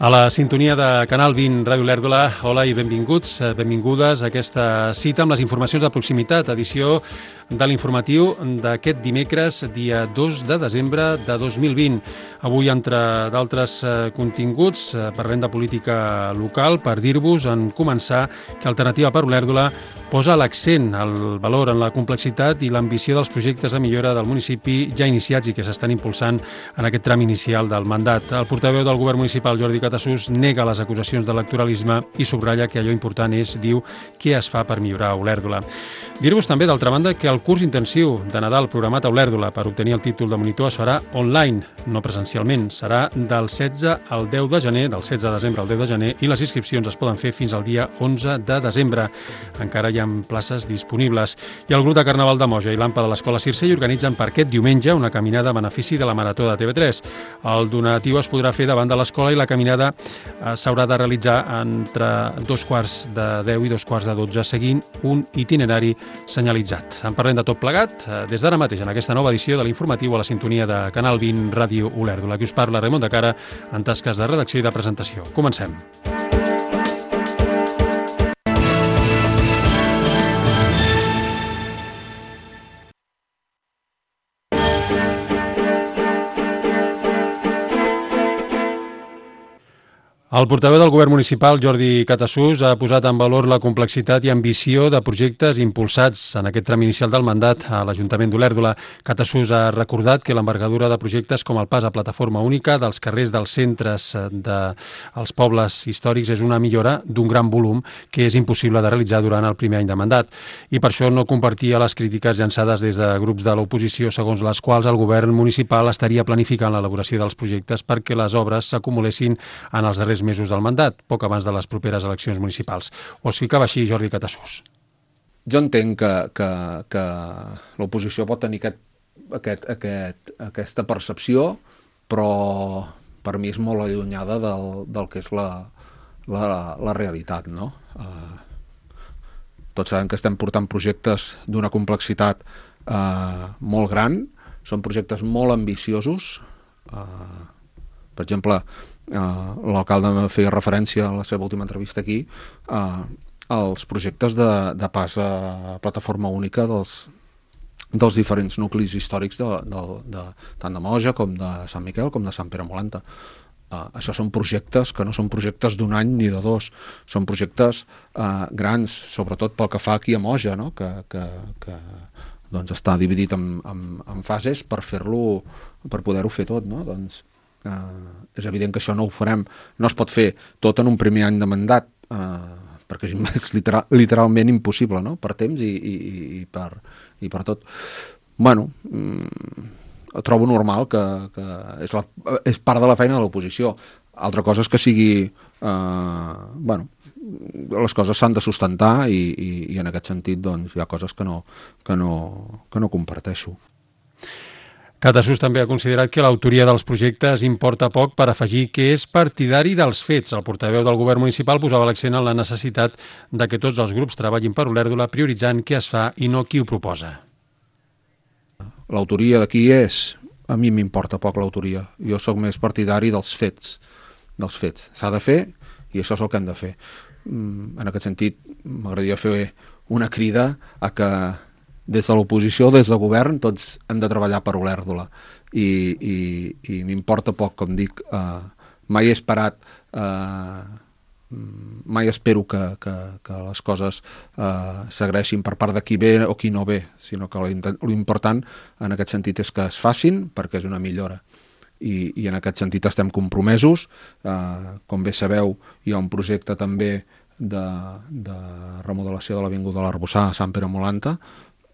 A la sintonia de Canal 20 Ràdio Olèrdola, hola i benvinguts, benvingudes a aquesta cita amb les informacions de proximitat, edició de l'informatiu d'aquest dimecres, dia 2 de desembre de 2020. Avui, entre d'altres continguts, parlem de política local per dir-vos, en començar, que Alternativa per Olèrdola posa l'accent, el valor en la complexitat i l'ambició dels projectes de millora del municipi ja iniciats i que s'estan impulsant en aquest tram inicial del mandat. El portaveu del govern municipal, Jordi Catasús, nega les acusacions d'electoralisme i subratlla que allò important és, diu, què es fa per millorar Olèrdola. Dir-vos també, d'altra banda, que el curs intensiu de Nadal programat a Olèrdola per obtenir el títol de monitor es farà online, no presencialment. Serà del 16 al 10 de gener, del 16 de desembre al 10 de gener, i les inscripcions es poden fer fins al dia 11 de desembre. Encara hi ha places disponibles. I el grup de Carnaval de Moja i l'AMPA de l'Escola Circell organitzen per aquest diumenge una caminada a benefici de la Marató de TV3. El donatiu es podrà fer davant de l'escola i la caminada s'haurà de realitzar entre 2:15 i 2:45, seguint un itinerari senyalitzat. En parlem de tot plegat des d'ara mateix en aquesta nova edició de l'informatiu a la sintonia de Canal 20 Ràdio Olèrdola. Aquí us parla Raimon de Cara en tasques de redacció i de presentació. Comencem. El portaveu del govern municipal, Jordi Catasús, ha posat en valor la complexitat i ambició de projectes impulsats en aquest tram inicial del mandat a l'Ajuntament d'Olèrdola. Catasús ha recordat que l'envergadura de projectes com el pas a plataforma única dels carrers dels centres dels pobles històrics és una millora d'un gran volum que és impossible de realitzar durant el primer any de mandat. I per això no compartia les crítiques llançades des de grups de l'oposició, segons les quals el govern municipal estaria planificant l'elaboració dels projectes perquè les obres s'acumulessin en els darrers mesos del mandat, poc abans de les properes eleccions municipals. Ho explicava així Jordi Catasús. Jo entenc que l'oposició pot tenir aquesta percepció, però per mi és molt allunyada del que és la realitat, no? Tots sabem que estem portant projectes d'una complexitat molt gran, són projectes molt ambiciosos. Per exemple, l'alcalde feia referència a la seva última entrevista aquí als projectes de pas a plataforma única dels diferents nuclis històrics tant de Moja com de Sant Miquel com de Sant Pere Molanta. Això són projectes que no són projectes d'un any ni de dos, són projectes grans, sobretot pel que fa aquí a Moja, no? que doncs està dividit en fases per poder-ho fer tot, no? Doncs és evident que això no ho farem, no es pot fer tot en un primer any de mandat, perquè és literalment impossible, no? Per temps i per tot. Bueno, trobo normal que és part de la feina de l'oposició. Altra cosa és que sigui les coses s'han de sustentar i en aquest sentit doncs, hi ha coses que no comparteixo. Catasús també ha considerat que l'autoria dels projectes importa poc per afegir que és partidari dels fets. El portaveu del govern municipal posava l'accent en la necessitat de que tots els grups treballin per Olèrdola prioritzant què es fa i no qui ho proposa. L'autoria de qui és? A mi m'importa poc l'autoria. Jo sóc més partidari dels fets. S'ha de fer i això és el que hem de fer. En aquest sentit, m'agradaria fer una crida a que des de l'oposició, des del govern, tots hem de treballar per Olèrdola. I m'importa poc, com dic, mai he esperat, mai espero que les coses s'agraeixin per part de qui ve o qui no ve, sinó que l'important en aquest sentit és que es facin perquè és una millora. I en aquest sentit estem compromesos. Com bé sabeu, hi ha un projecte també de remodelació de l'Avinguda de l'Arboçar a Sant Pere Molanta,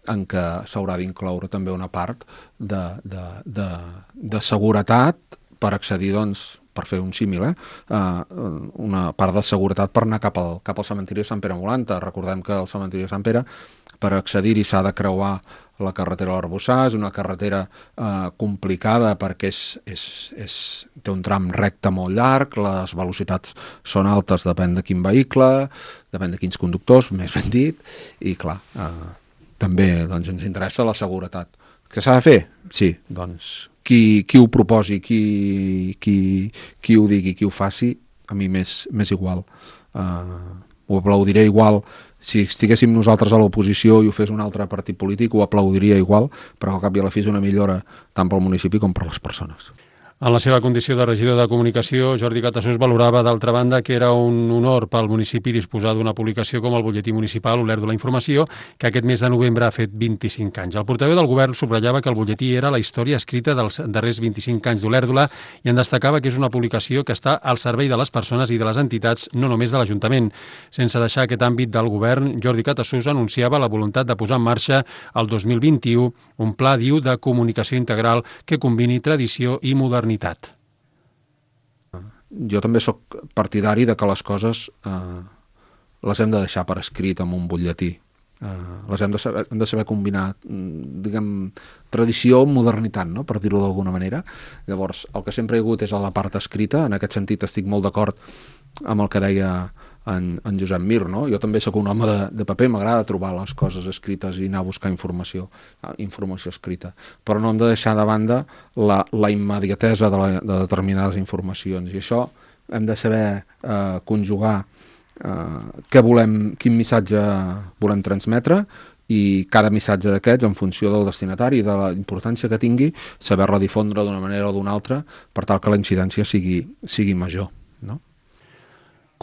en què s'haurà d'incloure també una part de seguretat per accedir, doncs, per fer un símil, una part de seguretat per anar cap al cementiri de Sant Pere Molanta. Recordem que el cementiri de Sant Pere, per accedir-hi s'ha de creuar la carretera de l'Arboçar, és una carretera complicada perquè té un tram recte molt llarg, les velocitats són altes, depèn de quin vehicle, depèn de quins conductors, més ben dit, i clar, també doncs, ens interessa la seguretat. Què s'ha de fer? Sí, doncs qui ho proposi, qui ho digui, qui ho faci, a mi m'és igual. Ho aplaudiré igual si estiguéssim nosaltres a l'oposició i ho fes un altre partit polític, ho aplaudiria igual, però al cap i a la fi és una millora tant pel municipi com per les persones. En la seva condició de regidor de comunicació, Jordi Catassús valorava, d'altra banda, que era un honor pel municipi disposar d'una publicació com el butlletí municipal Olèrdola Informació, que aquest mes de novembre ha fet 25 anys. El portaveu del govern subratllava que el butlletí era la història escrita dels darrers 25 anys d'Olèrdola i en destacava que és una publicació que està al servei de les persones i de les entitats, no només de l'Ajuntament. Sense deixar aquest àmbit del govern, Jordi Catassús anunciava la voluntat de posar en marxa el 2021 un pla, diu, de comunicació integral que combini tradició i modernitat. Jo també sóc partidari de que les coses les hem de deixar per escrit en un butlletí. Les hem de saber combinar, diguem, tradició amb modernitat, no? Per dir-ho d'alguna manera. Llavors, el que sempre hi ha hagut és a la part escrita. En aquest sentit estic molt d'acord amb el que deia en Josep Mir, no? Jo també sóc un home de paper, m'agrada trobar les coses escrites i anar a buscar informació escrita, però no hem de deixar de banda la immediatesa de determinades informacions, i això hem de saber conjugar què volem, quin missatge volem transmetre, i cada missatge d'aquests, en funció del destinatari i de la importància que tingui, saber-la difondre d'una manera o d'una altra per tal que la incidència sigui major, no?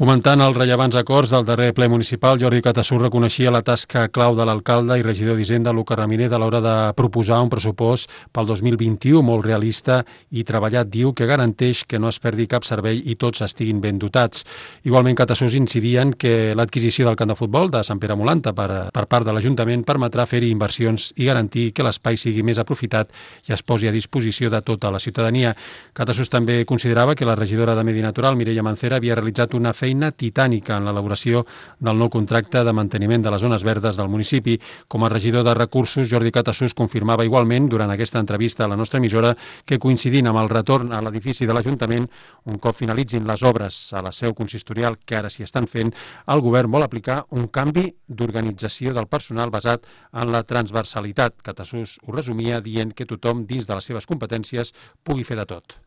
Comentant els rellevants acords del darrer ple municipal, Jordi Catassús reconeixia la tasca clau de l'alcalde i regidor d'Hisenda, Luca Ramírez, a l'hora de proposar un pressupost pel 2021 molt realista i treballat, diu, que garanteix que no es perdi cap servei i tots estiguin ben dotats. Igualment, Catassús incidia en que l'adquisició del camp de futbol de Sant Pere Molanta per part de l'Ajuntament permetrà fer-hi inversions i garantir que l'espai sigui més aprofitat i es posi a disposició de tota la ciutadania. Catassús també considerava que la regidora de Medi Natural, Mireia Mancera, havia realitzat una feina titànica en l'elaboració del nou contracte de manteniment de les zones verdes del municipi. Com a regidor de Recursos, Jordi Catassús confirmava igualment durant aquesta entrevista a la nostra emissora que, coincidint amb el retorn a l'edifici de l'Ajuntament, un cop finalitzin les obres a la seu consistorial que ara s'hi estan fent, el govern vol aplicar un canvi d'organització del personal basat en la transversalitat. Catassús ho resumia dient que tothom, dins de les seves competències, pugui fer de tot.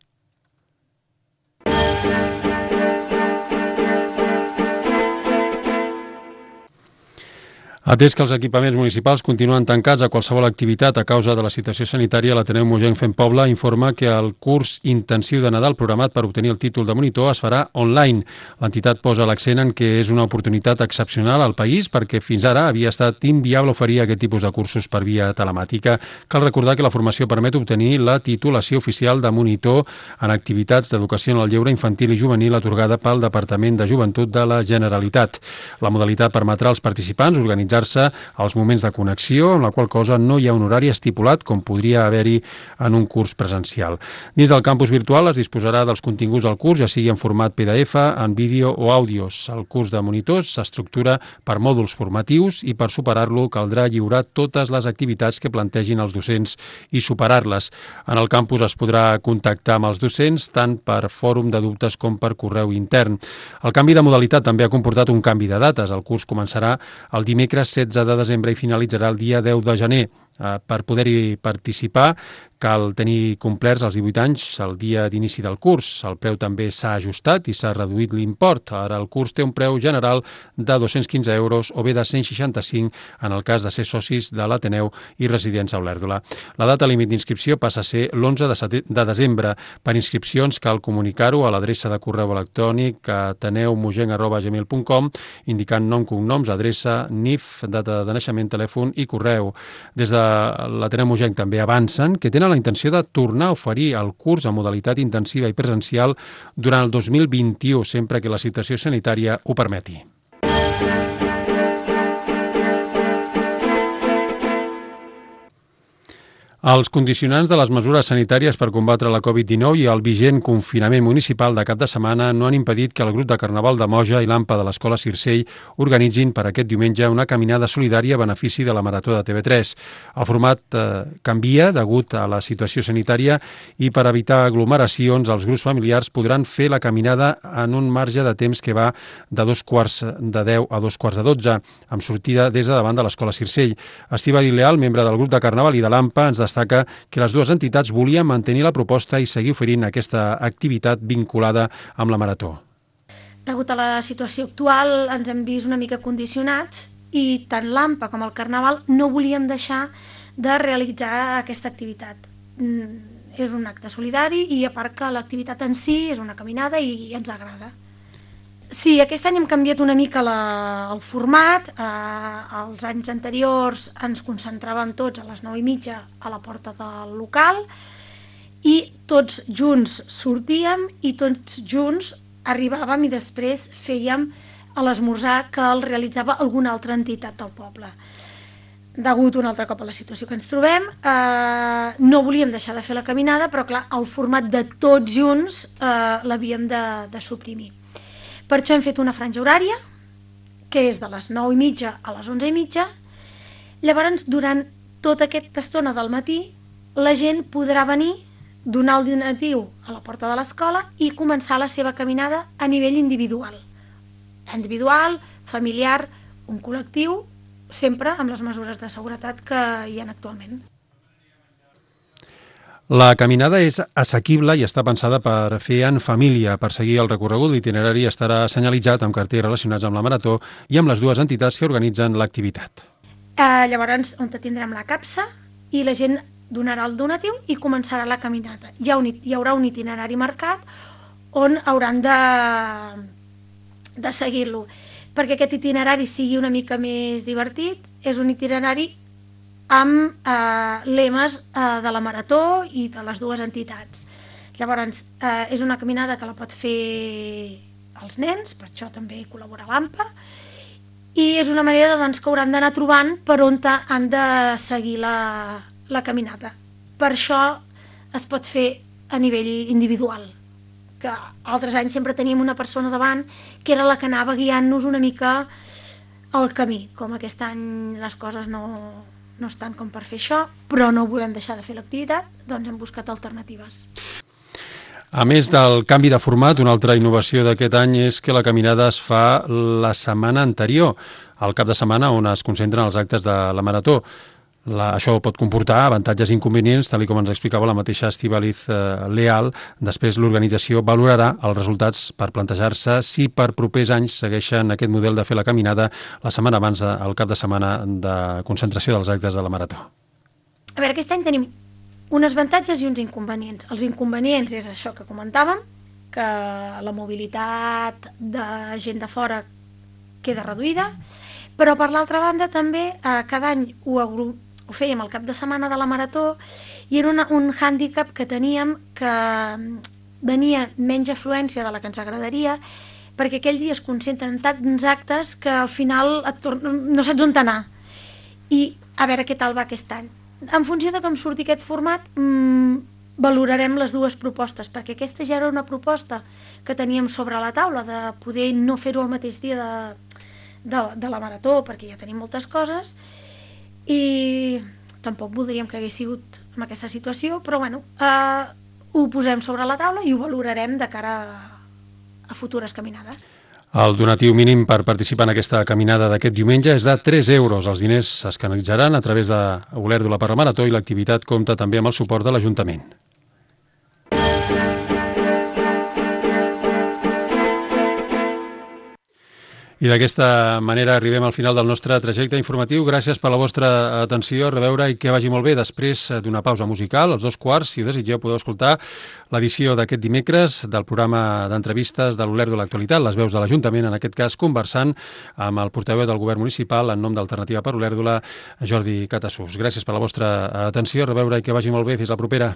Atès que els equipaments municipals continuen tancats a qualsevol activitat a causa de la situació sanitària, l'Ateneu Mogenc Fent Poble informa que el curs intensiu de Nadal programat per obtenir el títol de monitor es farà online. L'entitat posa l'accent en que és una oportunitat excepcional al país perquè fins ara havia estat inviable oferir aquest tipus de cursos per via telemàtica. Cal recordar que la formació permet obtenir la titulació oficial de monitor en activitats d'educació en el lleure infantil i juvenil atorgada pel Departament de Joventut de la Generalitat. La modalitat permetrà als participants organitzar als moments de connexió, amb la qual cosa no hi ha un horari estipulat com podria haver-hi en un curs presencial. Dins del campus virtual es disposarà dels continguts del curs, ja sigui en format PDF, en vídeo o àudios. El curs de monitors s'estructura per mòduls formatius i per superar-lo caldrà lliurar totes les activitats que plantegin els docents i superar-les. En el campus es podrà contactar amb els docents tant per fòrum de dubtes com per correu intern. El canvi de modalitat també ha comportat un canvi de dates. El curs començarà el dimecres 16 de desembre i finalitzarà el dia 10 de gener. Per poder-hi participar cal tenir complerts els 18 anys el dia d'inici del curs. El preu també s'ha ajustat i s'ha reduït l'import. Ara el curs té un preu general de 215 euros o bé de 165 en el cas de ser socis de l'Ateneu i residents a Olèrdola. La data límit d'inscripció passa a ser l'11 de desembre. Per inscripcions cal comunicar-ho a l'adreça de correu electrònic ateneumugenc@gmail.com indicant nom, cognoms, adreça, NIF, data de naixement, telèfon i correu. Des de l'Ateneu Mogenc també avancen que tenen la intenció de tornar a oferir el curs en modalitat intensiva i presencial durant el 2021, sempre que la situació sanitària ho permeti. Els condicionants de les mesures sanitàries per combatre la Covid-19 i el vigent confinament municipal de cap de setmana no han impedit que el grup de Carnaval de Moja i l'AMPA de l'Escola Circell organitzin per aquest diumenge una caminada solidària a benefici de la Marató de TV3. El format canvia degut a la situació sanitària i per evitar aglomeracions els grups familiars podran fer la caminada en un marge de temps que va de 9:45 a 11:45, amb sortida des de davant de l'Escola Circell. Estíbal Leal, membre del grup de Carnaval i de l'AMPA, ens destaca que les dues entitats volien mantenir la proposta i seguir oferint aquesta activitat vinculada amb la Marató. degut a la situació actual ens hem vist una mica condicionats i tant l'AMPA com el Carnaval no volíem deixar de realitzar aquesta activitat. És un acte solidari i a part que l'activitat en si és una caminada i ens agrada. Sí, aquest any hem canviat una mica el format. Els anys anteriors ens concentràvem tots a les 9:30 a la porta del local i tots junts sortíem i tots junts arribàvem i després fèiem l'esmorzar que el realitzava alguna altra entitat del poble. Degut un altre cop a la situació que ens trobem, no volíem deixar de fer la caminada, però clar, el format de tots junts l'havíem de suprimir. Per això hem fet una franja horària, que és de les 9:30 a les 11:30. Llavors, durant tota aquesta estona del matí, la gent podrà venir, donar el donatiu a la porta de l'escola i començar la seva caminada a nivell individual. Individual, familiar, un col·lectiu, sempre amb les mesures de seguretat que hi ha actualment. La caminada és assequible i està pensada per fer en família. Per seguir el recorregut, l'itinerari estarà senyalitzat amb cartells relacionats amb la marató i amb les dues entitats que organitzen l'activitat. Llavors, on tindrem la capsa i la gent donarà el donatiu i començarà la caminata. Hi haurà un itinerari marcat on hauran de seguir-lo. Perquè aquest itinerari sigui una mica més divertit, és un itinerari amb lemes de la marató i de les dues entitats. Llavors, és una caminada que la pot fer els nens, per això també col·labora l'AMPA, i és una manera que hauran d'anar trobant per on han de seguir la caminata. Per això es pot fer a nivell individual, que altres anys sempre teníem una persona davant que era la que anava guiant-nos una mica el camí. Com aquest any les coses no estan com per fer això, però no volem deixar de fer l'activitat, doncs hem buscat alternatives. A més del canvi de format, una altra innovació d'aquest any és que la caminada es fa la setmana anterior, al cap de setmana on es concentren els actes de la marató. Això pot comportar avantatges i inconvenients, tal com ens explicava la mateixa Estíbaliz Leal. Després l'organització valorarà els resultats per plantejar-se si per propers anys segueixen aquest model de fer la caminada la setmana abans del cap de setmana de concentració dels actes de la marató. A veure, aquest any tenim uns avantatges i uns inconvenients. Els inconvenients és això que comentàvem, que la mobilitat de gent de fora queda reduïda, però per l'altra banda també cada any ho fèiem al cap de setmana de la marató i era un hàndicap que teníem que venia menys afluència de la que ens agradaria perquè aquell dia es concentren tants actes que al final no saps on anar. I a veure què tal va aquest any. En funció de com surti aquest format valorarem les dues propostes, perquè aquesta ja era una proposta que teníem sobre la taula de poder no fer-ho el mateix dia de la marató, perquè ja tenim moltes coses i tampoc voldríem que hagués sigut en aquesta situació, però bueno, ho posem sobre la taula i ho valorarem de cara a futures caminades. El donatiu mínim per participar en aquesta caminada d'aquest diumenge és de 3 euros. Els diners es canalitzaran a través de Olèrdola per la Marató i l'activitat compta també amb el suport de l'Ajuntament. I d'aquesta manera arribem al final del nostre trajecte informatiu. Gràcies per la vostra atenció, a reveure i que vagi molt bé. Després d'una pausa musical, als 2:15, si ho desitgeu, podeu escoltar l'edició d'aquest dimecres del programa d'entrevistes de l'Olèrdola Actualitat, les veus de l'Ajuntament, en aquest cas conversant amb el portaveu del Govern Municipal en nom d'Alternativa per Olèrdola, Jordi Catassús. Gràcies per la vostra atenció, a reveure i que vagi molt bé. Fins la propera.